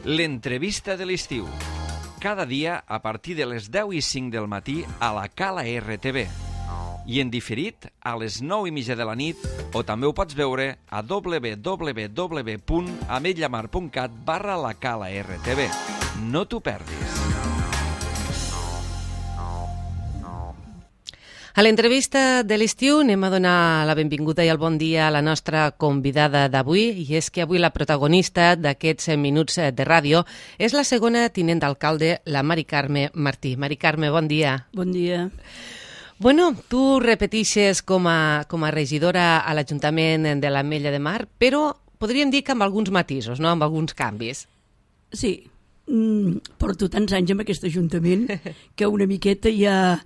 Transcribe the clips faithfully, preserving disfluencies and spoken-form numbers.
L'entrevista de l'estiu. Cada dia a partir de les deu i cinc del matí a la Cala R T V. I en diferit a les nou i mitja de la nit, o també ho pots veure a w w w punt ametlla mar punt cat barra la Cala R T V. No t'ho perdis. A l'entrevista de l'estiu anem a donar la benvinguda i el bon dia a la nostra convidada d'avui, i és que avui la protagonista d'aquests minuts de ràdio és la segona tinent d'alcalde, la Mari Carme Martí. Mari Carme, bon dia. Bon dia. Bueno, tu repetixes com a, com a regidora a l'Ajuntament de l'Ametlla de Mar, però podríem dir que amb alguns matisos, no? Amb alguns canvis. Sí, mm, porto tants anys amb aquest Ajuntament que una miqueta ja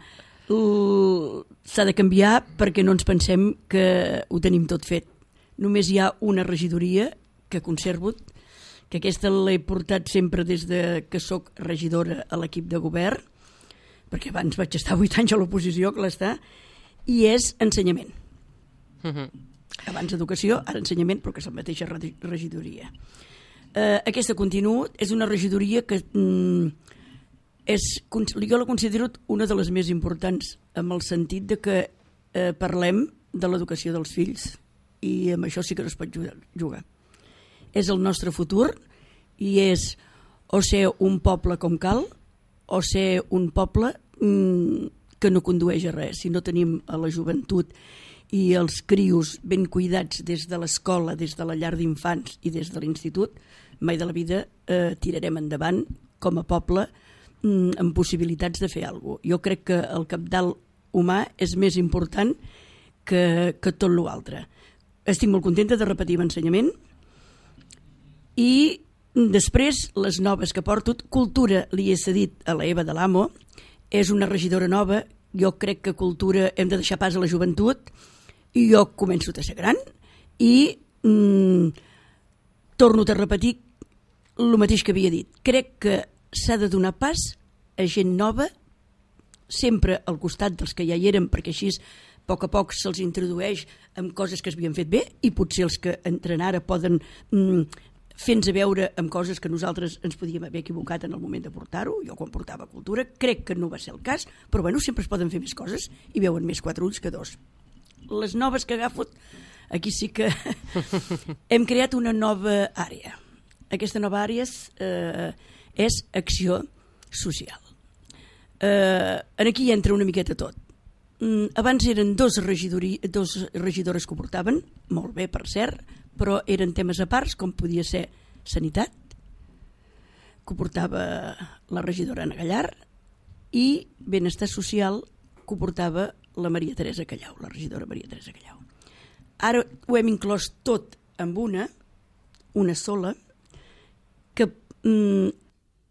uh, s'ha de canviar perquè no ens pensem que ho tenim tot fet. Només hi ha una regidoria que conservo, que aquesta l'he portat sempre des de que sóc regidora a l'equip de govern, perquè abans vaig estar vuit anys a l'oposició, que l'està, i és ensenyament. Uh-huh. Abans educació, ara ensenyament, però que és la mateixa regidoria. Uh, aquesta continua, és una regidoria que mm, és, jo la considero una de les més importants, amb el sentit de que eh, parlem de l'educació dels fills, i amb això sí que no es pot jugar. És el nostre futur, i és o ser un poble com cal, o ser un poble mmm, que no condueix a res. Si no tenim a la joventut i els crios ben cuidats des de l'escola, des de la llar d'infants i des de l'institut, mai de la vida eh, tirarem endavant com a poble mmm, amb possibilitats de fer alguna cosa. Jo crec que el cabdal humà és més important que, que tot l'altre. Estic molt contenta de repetir l'ensenyament i després, les noves que porto, cultura li he cedit a la Eva de l'Amo, és una regidora nova, jo crec que cultura hem de deixar pas a la joventut, i jo començo a ser gran, i mm, torno a repetir el mateix que havia dit. Crec que s'ha de donar pas a gent nova, sempre al costat dels que ja hi eren, perquè així a poc a poc se'ls introdueix amb coses que s'havien fet bé, i potser els que entren ara poden mm, fent-nos a veure amb coses que nosaltres ens podíem haver equivocat en el moment de portar-ho. Jo quan portava cultura crec que no va ser el cas, però bueno, sempre es poden fer més coses i veuen més quatre ulls que dos. Les noves que agafo, aquí sí que hem creat una nova àrea. Aquesta nova àrea és, eh, és acció social. Eh, aquí entra una miqueta tot. Mm, abans eren dos, regidori, dos regidores que ho portaven, molt bé per cert, però eren temes a parts, com podia ser sanitat, que ho portava la regidora Anna Gallar, i benestar social, que ho portava la Maria Teresa Callau, la regidora Maria Teresa Callau. Ara ho hem inclòs tot amb una, una sola, que, mm,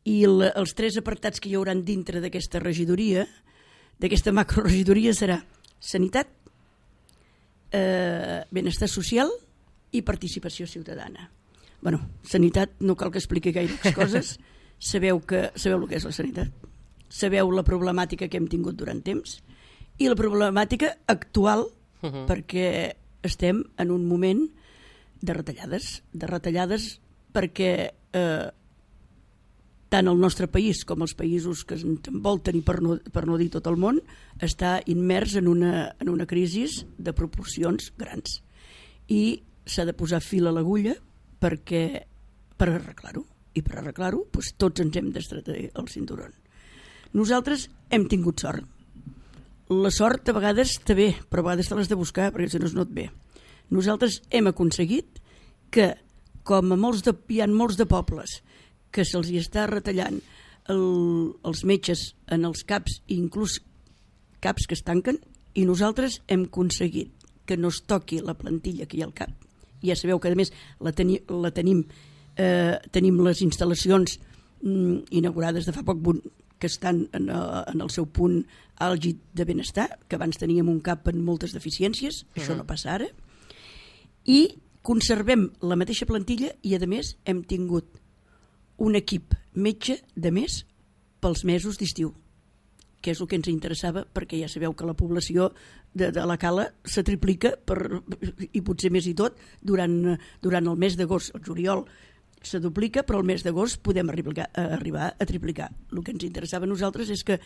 i el, els tres apartats que hi haurà dintre d'aquesta regidoria, d'aquesta macroregidoria, serà sanitat, eh, benestar social i participació ciutadana. Bueno, sanitat, no cal que expliqui gaire coses, sabeu, que, sabeu el que és la sanitat, sabeu la problemàtica que hem tingut durant temps i la problemàtica actual, uh-huh. perquè estem en un moment de retallades, de retallades perquè eh, tant el nostre país com els països que ens envolten i per no, per no dir tot el món està immers en una, en una crisi de proporcions grans. I s'ha de posar fil a l'agulla perquè, per arreglar-ho. I per arreglar-ho, doncs, tots ens hem d'estretar el cinturón. Nosaltres hem tingut sort. La sort a vegades està bé, però a vegades te l'has de buscar perquè si no es no et ve. Nosaltres hem aconseguit que, com a molts de, hi ha molts de pobles que se'ls hi està retallant el, els metges en els CAPs, i inclús CAPs que es tanquen, i nosaltres hem aconseguit que no es toqui la plantilla que hi ha al CAP. Ja sabeu que a més la, teni, la tenim, eh, tenim les instal·lacions mm, inaugurades de fa poc que estan en, en el seu punt àlgid de benestar, que abans teníem un CAP amb moltes deficiències, uh-huh. Això no passa ara, i conservem la mateixa plantilla i a més hem tingut un equip metge de més pels mesos d'estiu, que és el que ens interessava, perquè ja sabeu que la població de, de la Cala se triplica per, i potser més i tot durant, durant el mes d'agost, el juliol, se duplica, però el mes d'agost podem arribar, arribar a triplicar. El que ens interessava a nosaltres és que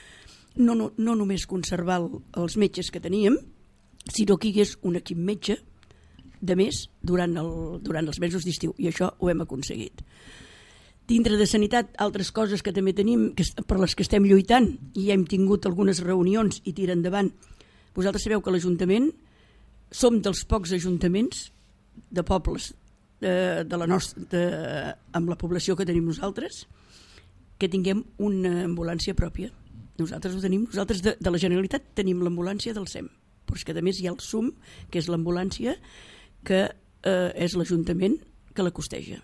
no, no, no només conservar el, els metges que teníem, sinó que hi hagués un equip metge de més durant, el, durant els mesos d'estiu, i això ho hem aconseguit. Dintre de sanitat, altres coses que també tenim, que, per les que estem lluitant, i ja hem tingut algunes reunions i tira endavant. Vosaltres sabeu que l'Ajuntament som dels pocs ajuntaments de pobles de, de la nostra, de, amb la població que tenim nosaltres, que tinguem una ambulància pròpia. Nosaltres ho tenim, nosaltres de, de la Generalitat tenim l'ambulància del S E M, però és que a més hi ha el S U M, que és l'ambulància que eh, és l'Ajuntament que la costeja,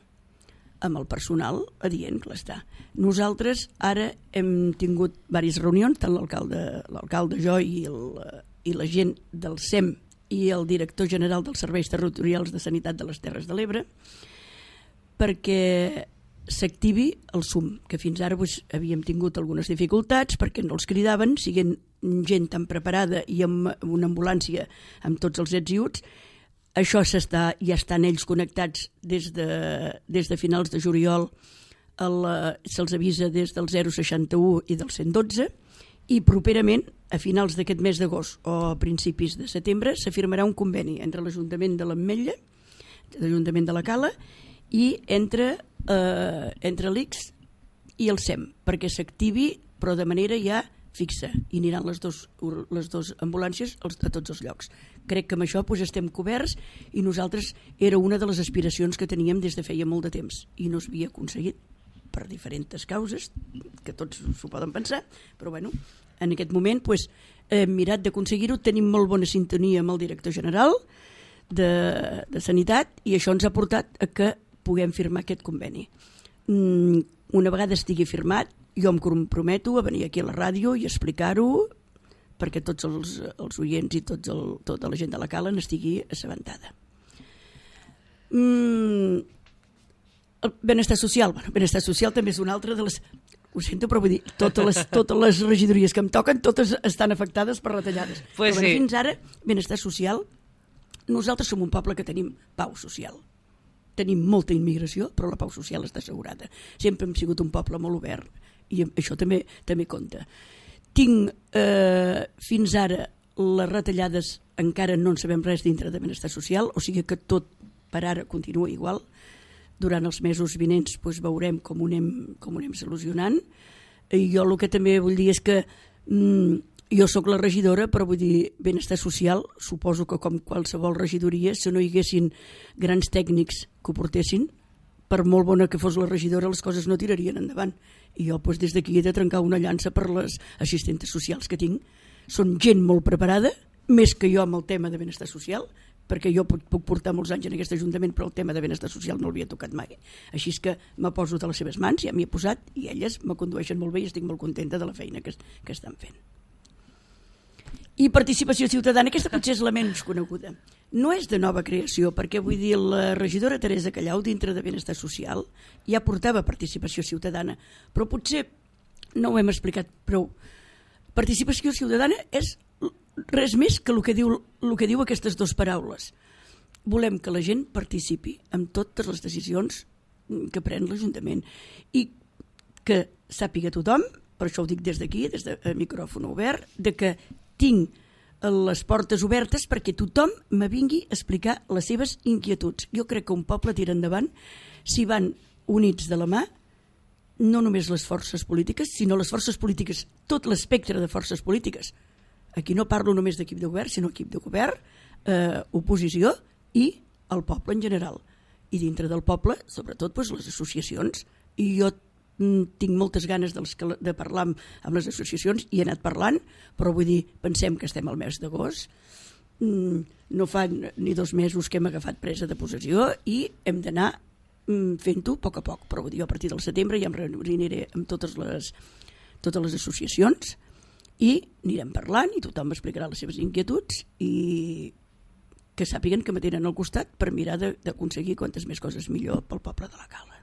amb el personal adient, clar està. Nosaltres ara hem tingut diverses reunions, tant l'alcalde, l'alcalde jo i, el, i la gent del S E M i el director general dels Serveis Territorials de Sanitat de les Terres de l'Ebre, perquè s'activi el S U M, que fins ara doncs, havíem tingut algunes dificultats perquè no els cridaven, siguent gent tan preparada i amb una ambulància amb tots els ets i uts. Això s'està, ja estan ells connectats des de, des de finals de juliol, se'ls avisa des del zero seixanta u i del cent dotze, i properament, a finals d'aquest mes d'agost o a principis de setembre, s'afirmarà un conveni entre l'Ajuntament de l'Ametlla, l'Ajuntament de la Cala, i entre, eh, entre l'I C S i el S E M, perquè s'activi, però de manera ja fixa, i aniran les dues les dos ambulàncies a tots els llocs. Crec que amb això doncs, estem coberts, i nosaltres era una de les aspiracions que teníem des de feia molt de temps, i no s'havia aconseguit per diferents causes, que tots s'ho poden pensar, però bueno, en aquest moment doncs, hem mirat d'aconseguir-ho, tenim molt bona sintonia amb el director general de, de Sanitat, i això ens ha portat a que puguem firmar aquest conveni. Una vegada estigui firmat, jo em comprometo a venir aquí a la ràdio i explicar-ho perquè tots els, els oients i tots el, tota la gent de la Cala n'estigui assabentada. Mm, el benestar social, bueno, benestar social també és una altra de les... Ho sento, però vull dir, totes les, totes les regidories que em toquen, totes estan afectades per retallades. Pues però bueno, sí. Fins ara, benestar social, nosaltres som un poble que tenim pau social. Tenim molta immigració, però la pau social està assegurada. Sempre hem sigut un poble molt obert, i això també també compta. Tinc eh, fins ara les retallades, encara no en sabem res dintre de benestar social, o sigui que tot per ara continua igual. Durant els mesos vinents doncs, veurem com ho anem, com ho anem solucionant. I jo el que també vull dir és que mm, jo sóc la regidora, però vull dir, benestar social, suposo que com qualsevol regidoria, si no hi haguessin grans tècnics que ho portessin, per molt bona que fos la regidora, les coses no tirarien endavant. I jo doncs, des d'aquí he de trencar una llança per les assistentes socials que tinc. Són gent molt preparada, més que jo amb el tema de benestar social, perquè jo puc, puc portar molts anys en aquest Ajuntament, però el tema de benestar social no l'havia tocat mai. Així és que me poso de les seves mans, ja m'hi he posat, i elles me condueixen molt bé i estic molt contenta de la feina que, que estan fent. I participació ciutadana, aquesta potser és la menys coneguda. No és de nova creació, perquè vull dir, la regidora Teresa Callau, dintre de benestar social, ja portava participació ciutadana, però potser no ho hem explicat prou. Participació ciutadana és res més que el que diu, el que diu aquestes dues paraules. Volem que la gent participi en totes les decisions que pren l'Ajuntament i que sàpiga tothom, per això ho dic des d'aquí, des de micròfon obert, de que tinc les portes obertes perquè tothom me vingui a explicar les seves inquietuds. Jo crec que un poble tira endavant si van units de la mà, no només les forces polítiques, sinó les forces polítiques, tot l'espectre de forces polítiques. Aquí no parlo només d'equip de govern, sinó equip de govern, eh, oposició i el poble en general. I dintre del poble, sobretot, doncs, les associacions. I jo tinc moltes ganes de parlar amb, amb les associacions i he anat parlant, però vull dir, pensem que estem al mes d'agost, no fa ni dos mesos que hem agafat presa de possessió i hem d'anar fent-ho a poc a poc, però vull dir, a partir del setembre ja em reuniré amb totes les, totes les associacions i anirem parlant i tothom m'explicarà les seves inquietuds i que sàpiguen que me tenen al costat per mirar d'aconseguir quantes més coses millor pel poble de la Cala.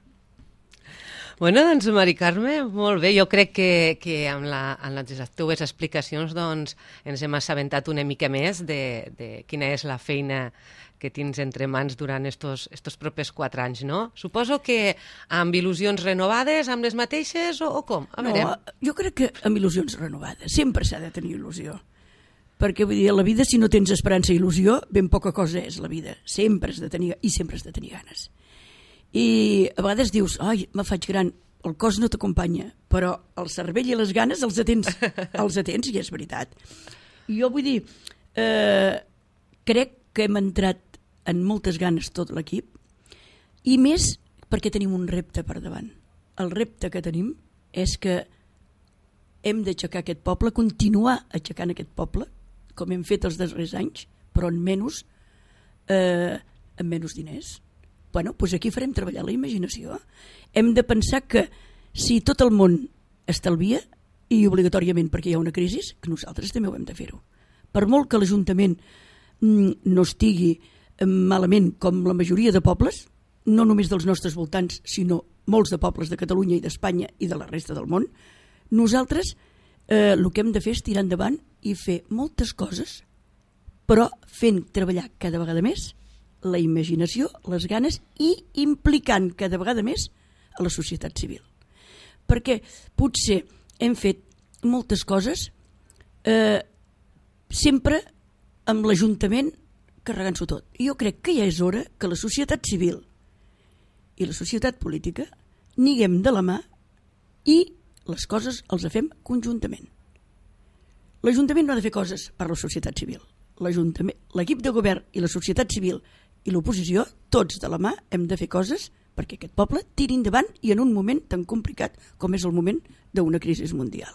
Bueno, doncs, Mari Carme, molt bé. Jo crec que, que amb, la, amb les teves explicacions doncs, ens hem assabentat una mica més de, de quina és la feina que tens entre mans durant estos, estos propers quatre anys, no? Suposo que amb il·lusions renovades, amb les mateixes, o, o com? A veure. No, jo crec que amb il·lusions renovades. Sempre s'ha de tenir il·lusió. Perquè, vull dir, a la vida, si no tens esperança i il·lusió, ben poca cosa és la vida. Sempre has de tenir, i sempre has de tenir ganes. I a vegades dius, ai, me faig gran, el cos no t'acompanya, però el cervell i les ganes els atens, els atens, i és veritat. I jo vull dir, eh, crec que hem entrat en moltes ganes tot l'equip, i més perquè tenim un repte per davant. El repte que tenim és que hem d'aixecar aquest poble, continuar aixecant aquest poble, com hem fet els darrers anys, però en menys, eh, en menys diners. Bueno, doncs aquí farem treballar la imaginació. Hem de pensar que si tot el món estalvia, i obligatòriament perquè hi ha una crisi, que nosaltres també ho hem de fer-ho. Per molt que l'Ajuntament no estigui malament com la majoria de pobles, no només dels nostres voltants, sinó molts de pobles de Catalunya i d'Espanya i de la resta del món, nosaltres eh, el que hem de fer és tirar endavant i fer moltes coses, però fent treballar cada vegada més la imaginació, les ganes, i implicant cada vegada més a la societat civil. Perquè potser hem fet moltes coses eh, sempre amb l'Ajuntament carregant-s'ho tot. I jo crec que ja és hora que la societat civil i la societat política niguem de la mà i les coses els fem conjuntament. L'Ajuntament no ha de fer coses per la societat civil. L'equip de govern i la societat civil i l'oposició, tots de la mà, hem de fer coses perquè aquest poble tiri endavant i en un moment tan complicat com és el moment d'una crisi mundial.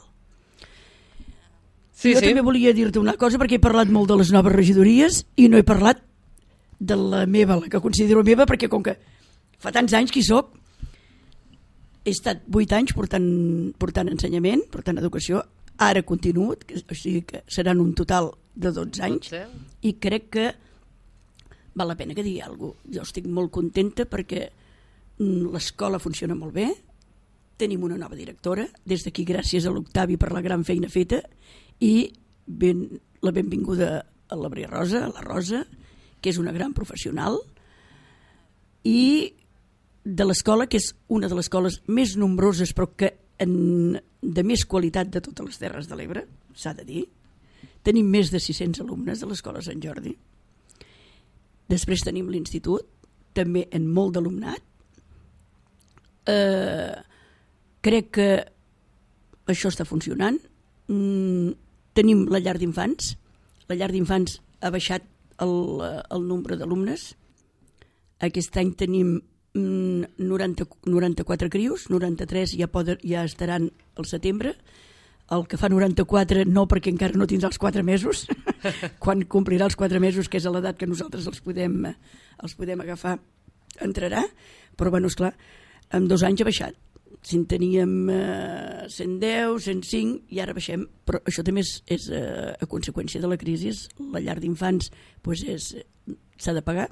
Sí, jo sí. també volia dir-te una cosa, perquè he parlat molt de les noves regidories i no he parlat de la meva, la que considero meva, perquè com que fa tants anys que hi soc, he estat vuit anys portant, portant ensenyament, portant educació, ara continuo, o sigui que seran un total de dotze anys, i crec que val la pena que digui alguna cosa. Jo estic molt contenta perquè l'escola funciona molt bé, tenim una nova directora, des d'aquí gràcies a l'Octavi per la gran feina feta, i ben, la benvinguda a la Maria Rosa, a la Rosa, que és una gran professional, i de l'escola, que és una de les escoles més nombroses però que en, de més qualitat de totes les Terres de l'Ebre, s'ha de dir. Tenim més de sis-cents alumnes de l'escola Sant Jordi. Després tenim l'institut, també en molt d'alumnat. Eh, crec que això està funcionant. Mm, tenim la llar d'infants. La llar d'infants ha baixat el, el nombre d'alumnes. Aquest any tenim noranta, noranta-quatre crios, noranta-tres ja, poden, ja estaran al setembre. El que fa noranta-quatre no, perquè encara no tindrà els quatre mesos. Quan complirà els quatre mesos, que és a l'edat que nosaltres els podem, els podem agafar, entrarà. Però, bueno, esclar, en dos anys ha baixat. Si en teníem eh, cent deu, cent cinc, i ara baixem. Però això també és, és eh, a conseqüència de la crisi. La llar d'infants pues és, s'ha de pagar.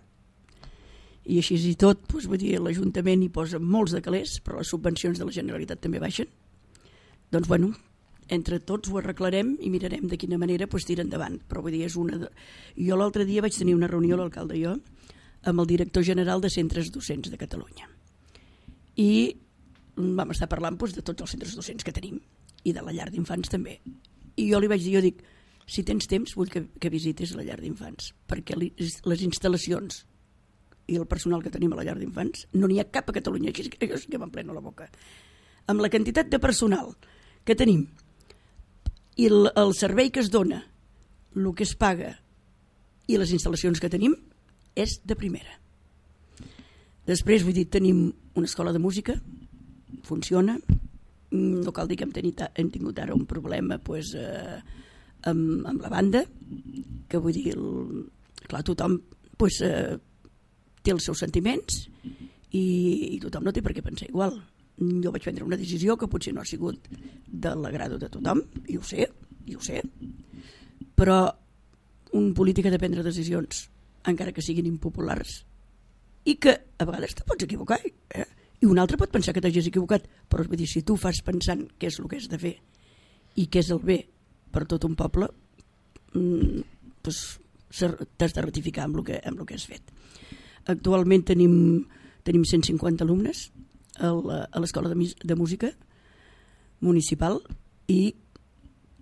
I així i tot, doncs, vull dir, l'Ajuntament hi posa molts de calés, però les subvencions de la Generalitat també baixen. Doncs, bueno, entre tots ho arreglarem i mirarem de quina manera doncs, tirar endavant. Però vull dir, és una... De... Jo l'altre dia vaig tenir una reunió, l'alcalde i jo, amb el director general de centres docents de Catalunya. I vam estar parlant doncs, de tots els centres docents que tenim, i de la llar d'infants també. I jo li vaig dir, jo dic, si tens temps vull que, que visitis la llar d'infants, perquè les instal·lacions i el personal que tenim a la llar d'infants, no n'hi ha cap a Catalunya, així que jo sí que m'empleno la boca. Amb la quantitat de personal que tenim i el, el servei que es dona, el que es paga i les instal·lacions que tenim, és de primera. Després, vull dir, tenim una escola de música, funciona, no cal dir que hem, tenit, hem tingut ara un problema pues, eh, amb, amb la banda, que vull dir, el, clar, tothom pues, eh, té els seus sentiments i, i tothom no té per què pensar igual. Jo vaig prendre una decisió que potser no ha sigut de l'agrado de tothom, i ho sé, i ho sé, però un polític ha de prendre decisions encara que siguin impopulars i que a vegades te pots equivocar, eh? I I un altre pot pensar que t'hagis equivocat, però vull dir, si tu fas pensant què és el que has de fer i què és el bé per tot un poble, mm, doncs t'has de ratificar amb el que, amb el que has fet. Actualment tenim, tenim cent cinquanta alumnes a l'Escola de, de Música Municipal i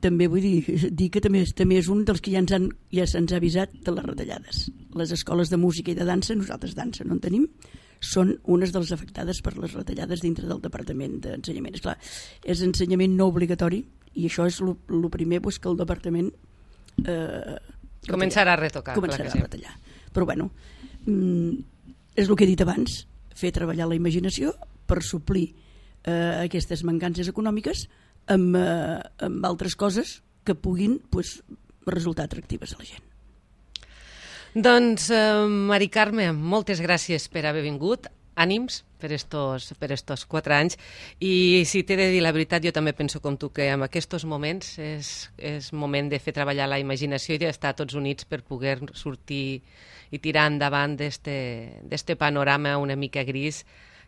també vull dir, dir que també, també és un dels que ja ens han, ja se'ns ha avisat de les retallades. Les escoles de música i de dansa, nosaltres dansa no en tenim, són unes de les afectades per les retallades dintre del Departament d'Ensenyament. Esclar, és ensenyament no obligatori i això és el primer pues, que el Departament eh, començarà a retocar. Començarà a retallar. Però bueno, és el que he dit abans, fer treballar la imaginació per suplir eh, aquestes mancances econòmiques amb, eh, amb altres coses que puguin pues, resultar atractives a la gent. Doncs, eh, Mari Carme, moltes gràcies per haver vingut. Ànims per estos, per estos quatre anys. I si t'he de dir la veritat, jo també penso com tu que en aquests moments és, és moment de fer treballar la imaginació i d'estar tots units per poder sortir i tirar endavant d'este panorama una mica gris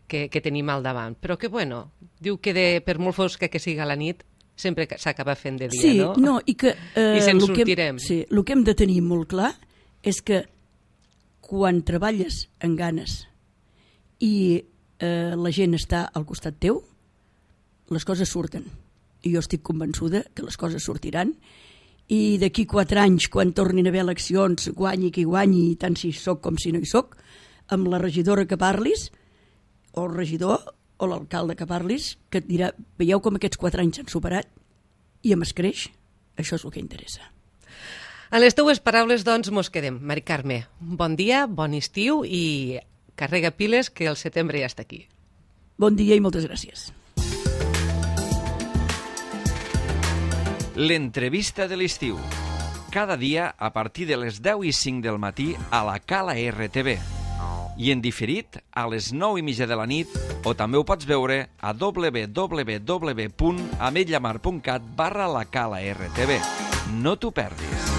que, que tenim al davant. Però que, bueno, diu que de, per molt fosca que siga la nit, sempre s'acaba fent de dia, sí, no? no i que, eh, I se'n sortirem. Que hem, sí, el que hem de tenir molt clar és que quan treballes en ganes i eh, la gent està al costat teu, les coses surten. I jo estic convençuda que les coses sortiran i d'aquí quatre anys, quan tornin a haver eleccions, guanyi qui guanyi, tant si soc com si no hi soc, amb la regidora que parlis, o el regidor o l'alcalde que parlis, que et dirà, veieu com aquests quatre anys s'han superat i em escreix, això és el que interessa. En les teues paraules, doncs, mos quedem. Mari Carme, bon dia, bon estiu i carrega piles, que el setembre ja està aquí. Bon dia i moltes gràcies. L'entrevista de l'estiu. Cada dia a partir de les deu i cinc del matí a la Cala R T V. I en diferit a les nou i mitja de la nit o també ho pots veure a w w w punt ametlla mar punt cat barra la Cala R T V. No t'ho perdis.